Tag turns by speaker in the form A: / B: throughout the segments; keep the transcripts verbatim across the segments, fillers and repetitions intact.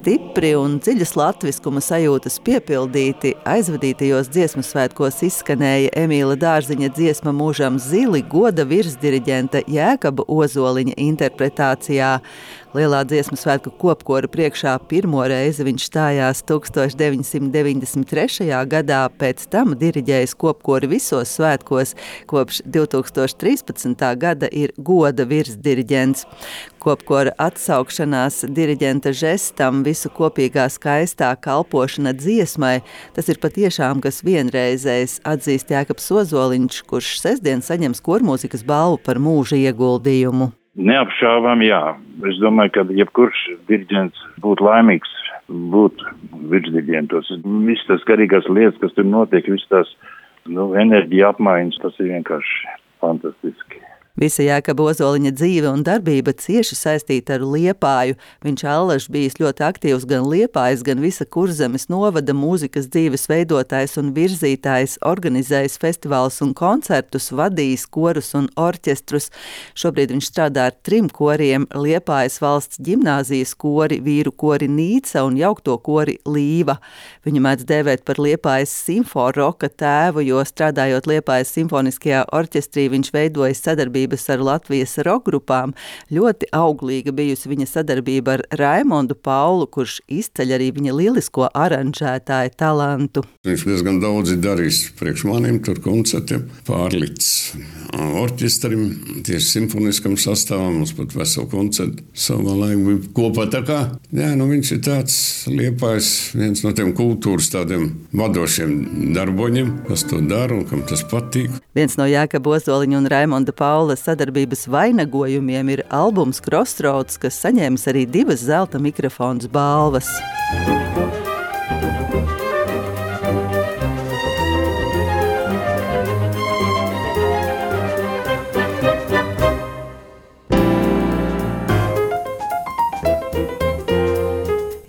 A: stipri un dziļas latviskuma sajūtas piepildīti, aizvadītajos dziesmu svētkos izskanēja Emīla Dārziņa dziesma Mūžam zili goda virsdiriģenta Jēkaba Ozoliņa interpretācijā. Lielā dziesmu svētku kopkora priekšā pirmo reizi viņš stājās tūkstoš deviņsimt deviņdesmit trešajā gadā, pēc tam diriģējis kopkori visos svētkos, kopš divtūkstoš trīspadsmitā gada ir goda virsdiriģents. Kopkora atsaukšanās diriģenta žestam, visu kopīgā skaistā kalpošana dziesmai, tas ir patiešām kas vienreizējs, atzīst Jēkabs Ozoliņš, kurš sestdien saņems kormūzikas balvu par mūža ieguldījumu.
B: Neapšābām, jā. Es domāju, ka jebkurš diriģents būtu laimīgs būt virsdiriģentos. Viss tas garīgās lietas, kas tur notiek, viss tās nu, enerģija apmaiņas, tas ir vienkārši fantastiski.
A: Visa Jēkaba Ozoliņa dzīve un darbība cieši saistīta ar Liepāju. Viņš allaž bijis ļoti aktīvs gan Liepājas, gan visa Kurzemes novada mūzikas dzīves veidotājs un virzītājs, organizējis festivālus un koncertus, vadījis korus un orķestrus. Šobrīd viņš strādā ar trim koriem – Liepājas valsts ģimnāzijas kori, vīru kori Nīca un jaukto kori Līva. Viņu mēdz dēvēt par Liepājas simforoka tēvu, jo strādājot Liepājas simfoniskajā orķestrī viņš veidojas sadarbību ar Latvijas rokgrupām. Ļoti auglīga bijusi viņa sadarbība ar Raimondu Paulu, kurš izceļ arī viņa lielisko aranžētāju talantu.
C: Viņš diezgan daudz ir darījis priekš maniem tur koncertiem, pārlicis orķestrim, tieši simfoniskam sastāvam, mums pat veselu koncertu savā laikā bija kopā. Tā kā, jā, nu viņš ir tāds Liepājs, viens no tiem kultūras tādiem vadošiem darboņiem, kas to dara un kam tas patīk.
A: Viens no Jēkaba Ozoliņa un Raimonda Paula sadarbības vainagojumiem ir albums Crossroads, kas saņēmis arī divas zelta mikrofons balvas.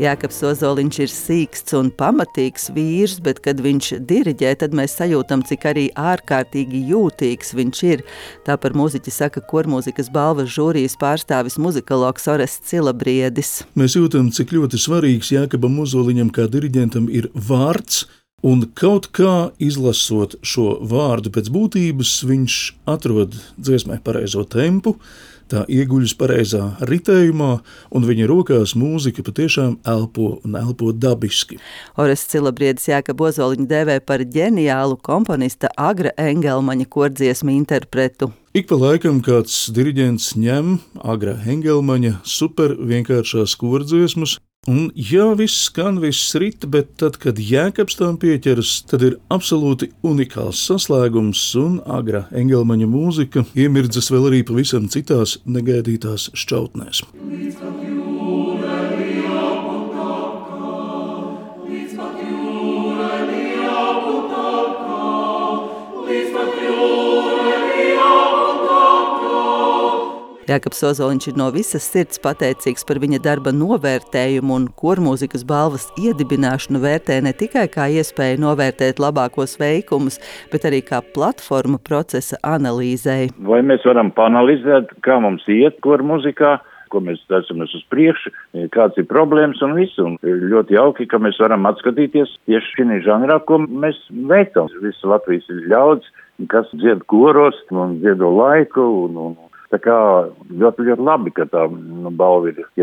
A: Jēkabs Ozoliņš ir sīksts un pamatīgs vīrs, bet, kad viņš diriģē, tad mēs sajūtam, cik arī ārkārtīgi jūtīgs viņš ir. Tā par mūziķi saka kormūzikas balvas žūrijas pārstāvis muzikologs Orests Cilabriedis.
D: Mēs jūtam, cik ļoti svarīgs Jēkabam Ozoliņam kā diriģentam ir vārds, un kaut kā izlasot šo vārdu pēc būtības, viņš atrod dziesmai pareizo tempu, tā ieguļas pareizā ritējumā, un viņa rokās mūzika patiešām elpo un elpo dabiski.
A: Orests Cilabriedis Jēkabu Ozoliņu dēvē par ģeniālu komponista Agra Engelmaņa kordziesmu interpretu.
D: Ik pa laikam kāds diriģents ņem Agra Engelmaņa super vienkāršās kordziesmas, un jā, viss skan, viss rit, bet tad, kad Jēkabs tām pieķeras, tad ir absolūti unikāls saslēgums, un Agra Engelmaņa mūzika iemirdzas vēl arī pavisam citās negaidītās šķautnēs.
A: Jēkabs Ozoliņš ir no visas sirds pateicīgs par viņa darba novērtējumu, un kormūzikas balvas iedibināšanu vērtē ne tikai kā iespēju novērtēt labākos veikumus, bet arī kā platforma procesa analīzei.
B: Vai mēs varam panalizēt, kā mums iet kormūzikā, ko mēs esam uz priekšu, kāds ir problēmas un visu. Un ļoti jauki, ka mēs varam atskatīties tieši šī žanrā, ko mēs veicam. Viss Latvijas ir ļauds, kas dzied koros un dziedo laiku un, un tā kā ļoti, ļoti labi, ka tā nu, balva ir